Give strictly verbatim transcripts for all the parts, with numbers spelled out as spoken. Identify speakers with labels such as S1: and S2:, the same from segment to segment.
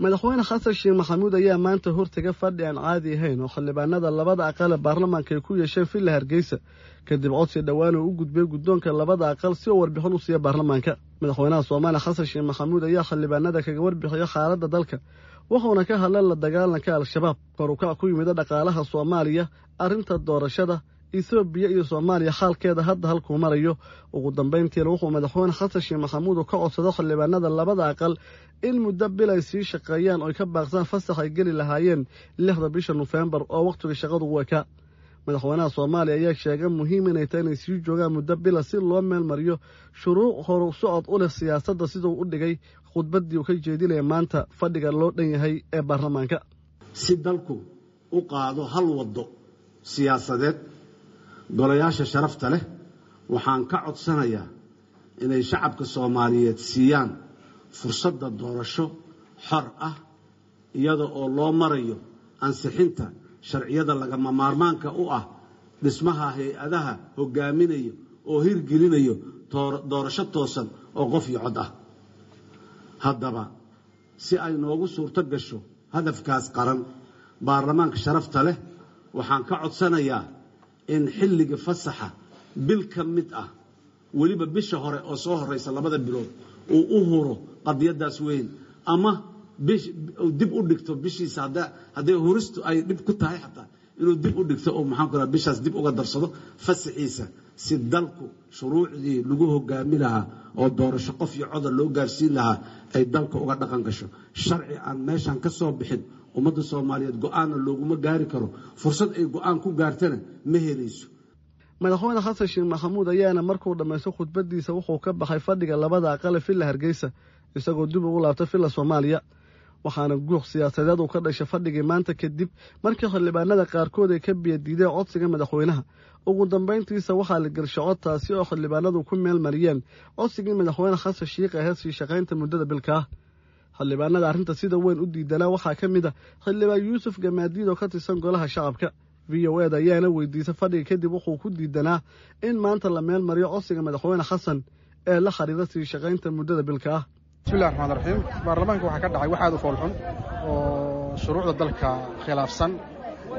S1: Madaxweyne Xasan Sheekh Maxamuud ayaa maanta hortaga fadhi aan caadi ahayn oo xildhibaanada labada aqal ee baarlamaanka ay ku yeesheen Villa Hargeysa, kadib codsi dhowaan uu u gudbiyey guddoonka labada aqal si uu warbixin u siiya baarlamaanka. Madaxweynaha Soomaaliya Xasan Sheekh Maxamuud ayaa xildhibaanada kaga warbixiyey xaaladda dalka, wuxuuna ka hadlay la dagaalanka Al-Shabaab, kor u kac ku yimid dhaqaalaha Soomaaliya, arrinta doorashada Itoobiya iyo Soomaaliya xaalkeeda hadda halkuu marayo. Ugu dambeyntiina wuxuu madaxweyne Xasan Sheekh Maxamuud ka codsaday xildhibaanada labada aqal in muddo bil ay sii shaqeeyaan oo ay ka baaqsaan fasax ay geli lahaayeen lixda bisha Nofeembar oo wakhtiga shaqadu u ekaa. Madaxweynaha Soomaaliya ayaa sheegay muhiim inay tahay inay sii joogaan muddo bila si loo meel mariyo shuruuc horu socod u leh siyaasadda, siduu u dhigay khudbaddii uu ka jeedinaya maanta fadhiga loo dhan yahay ee baarlamaanka.
S2: Si dalku u qaado hal waddo siyaasadeed, golayaasha sharafta leh waxaan ka codsanayaa inay shacabka Soomaaliyeed siiyaan fursadda doorasho xor ah, iyada oo loo marayo ansixinta sharciyada lagama maarmaanka u ah dhismaha hay-adaha hogaaminayo oo hirgelinayo doorasho toosan oo qof iyo cod ah. Haddaba, si ay noogu suurto gasho hadafkaas qaran, baarlamaanka sharafta leh waxaan ka codsanayaa in xilliga fasaxa bil ka mid ah, weliba bisha hore oo soo horeysa labada bilood, uu u huro qadiyadaas weyn, ama dib u dhigto bishiisa hadday huristu ay dhib ku tahay, xataa inuu dib u dhigto oo maxaan ku raha bishaas dib uga darsado fasaxiisa, si dalku shuruucdii lagu hogaami lahaa oo doorasho qof iyo coda loo gaarsiin lahaa ay dalka uga dhaqan gasho. Sharci aan meeshan ka soo bixin ummadda Soomaaliyeed go-aanna looguma gaari karo, fursad ay go-aan ku gaartana ma helayso.
S1: Madaxweyne Xasan Sheekh Maxamuud ayaana markuu dhammaysto khudbadiisa wuxuu ka baxay fadhiga labada aqale Villa Hargeysa, isagoo dib ugu laabtay Villa Soomaaliya. Waxaana guuq siyaasadeed uu ka dhashay fadhigii maanta kadib markii xildhibaanada qaarkood ay ka biyadiideen codsiga madaxweynaha. Ugu dambeyntiisa waxaa la gelshay cod, taasi oo xildhibaanadu ku meel mariyeen codsigii madaxweyne Xasan Sheikh ahayd sii shaqaynta muddada bilka ah. Xildhibaanada arrinta sida weyn u diidanaa waxaa ka mid a xildhibaan Yuusuf Gamaadiid oo ka tirsan golaha shacabka. V O eda ayaana weydiisay fadhiga kadib wuxuu ku diidanaa in maanta la meel mariyo codsiga madaxweyne Xasan ee la xiriira sii shaqaynta muddada bilka ah.
S3: Bismillahi raxmaan raxiim. Baarlamaanka waxaa ka dhacay wax aad u foolxun oo shuruucda dalka khilaafsan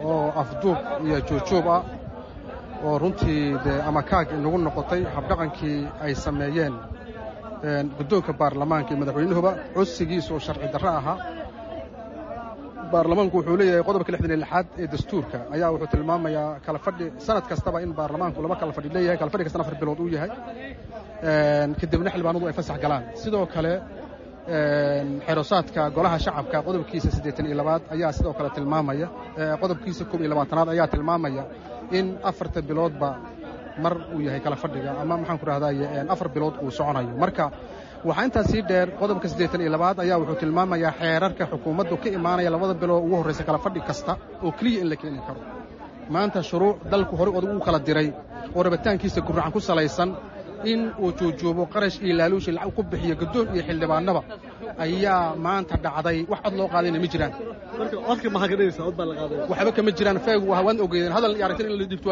S3: oo afduub iyo juujuub ah, oo runtii dee ama kaag inagu noqotay habdhaqankii ay sameeyeen guddoonka baarlamaanka iyo madaxweynuhuba, codsigiisu oo sharci darro ahaa. Baarlamaanku wuxuu leeyahay qodobka lixdan iyo lixaad ee dastuurka ayaa wuxuu tilmaamayaa kala fadhi sanad kastaba in baarlamaanku laba kala fadhi leeyahay, kala fadhi kastana afar bilood uu yahay, kadibna xildhibaanadu ay fasax galaan. Sidoo kale xerosaadka golaha shacabka qodobkiisa siddeetan iyo labaad ayaa sidoo kale tilmaamaya, qodobkiisa koob iyo labaatanaad ayaa tilmaamaya in afarta biloodba mar uu yahay kala fadhiga, ama maxaan ku rahdaye afar bilood uu soconayo. Marka waxaa intaas sii dheer, qodobka siddeetan iyo labaad ayaa wuxuu tilmaamayaa xeerarka xukuumaddu ka imaanaya labada bilood ugu horraysa kala fadhi kasta oo keliya in la keeni karo. Maanta shuruuc dalku horey odag uu kala diray oo rabitaankiisa gurracan ku salaysan in uu juujuubo, qarash iyo laaluushi lacag ku bixiyo guddoon iyo xildhibaanaba ayaa maanta dhacday. Wax cod loo qaadayna ma jiraan. Waxba kama jiraan, feegu waan ogeydeen hadal iyo aragtin in la dhibto.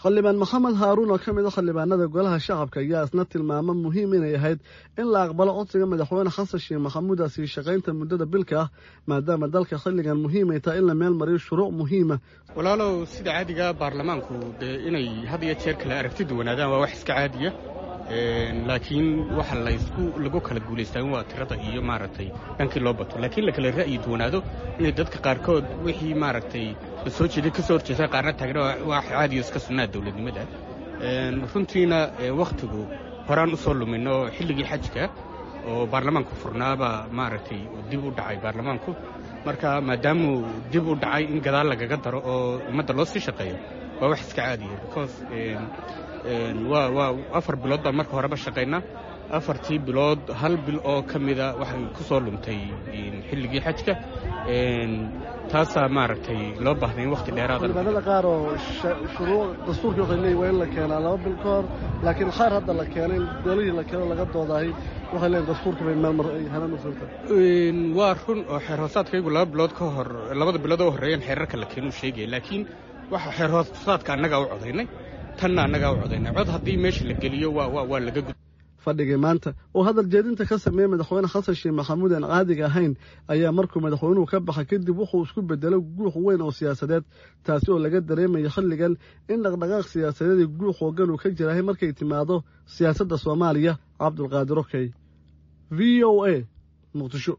S1: Xildhibaan Maxamed Haaruun oo ka mid a xildhibaanada golaha shacabka ayaa isna tilmaamo muhiim inay ahayd in la aqbalo codsiga madaxweyne Xasan Sheekh Maxamuud sii shaqaynta muddada bilka ah, maadaama dalka xilligan muhiim ay tahay in la meel mariyo shuruuc muhiima.
S4: Walaalow, sida caadiga baarlamaanku dee inay had iyo jeer kala aragti duwanaadaan waa wax iska caadiya, laakiin waxa laysku lagu kala guulaystaa waa tirada iyo maaragtay dhankii loo bato, laakiin la kala ra'yi duwanaado inay dadka qaarkood wixii maaragtay la soo jeeday ka soo horjeestaan, qaarna taagna, waa caadiyo iska sunnaa dowladnimada. Runtiina wakhtigu horaan u soo lumino xilligii xajka oo baarlamaanku furnaabaa maaragtay dib u dhacay baarlamaanku. Marka maadaamuu dib u dhacay, in gadaal lagaga daro oo ummadda loo sii shaqeeyo waa wax iska caadiya, because waa waa afar bilood baan marka horeba shaqaynaa. Afartii bilood hal bil oo ka mida waxay ku soo luntay xilligii xajka, taasaa maaragtay loo baahday in wakhti dheeraada.
S1: Xildhibaanada qaar oo shuruuc dastuurkii waxay leeyihin waa in la keenaa laba bil ka hor, laakiin qaar hadda la keenay golihii la keeno laga doodahay waxay leeyihin dastuurka bay meel mar ay helaan u suurta.
S4: Waa run oo xeer hoosaadkaygu laba bilood ka hor, labada bilood oo horreeyeen xeerarka la keenuu sheegaya, laakiin waxa xeer hoosaadka annagaa u codaynay, tanna annagaa u codaynay. Cod haddii meesha la geliyo waa waa waa laga gud.
S1: Fadhigii maanta oo hadal jeedinta ka sameeyey madaxweyne Xasan Sheekh Maxamuud aan caadiga ahayn ayaa markuu madaxweynuhu ka baxa kadib wuxuu isku bedelo guux weyn oo siyaasadeed, taasi oo laga dareemayo xilligan in dhaqdhaqaaq siyaasadeed iyo guux hoogan uu ka jirahay markay timaado siyaasadda Soomaaliya. Cabdulqaadir Okey, V O A, Muqdisho.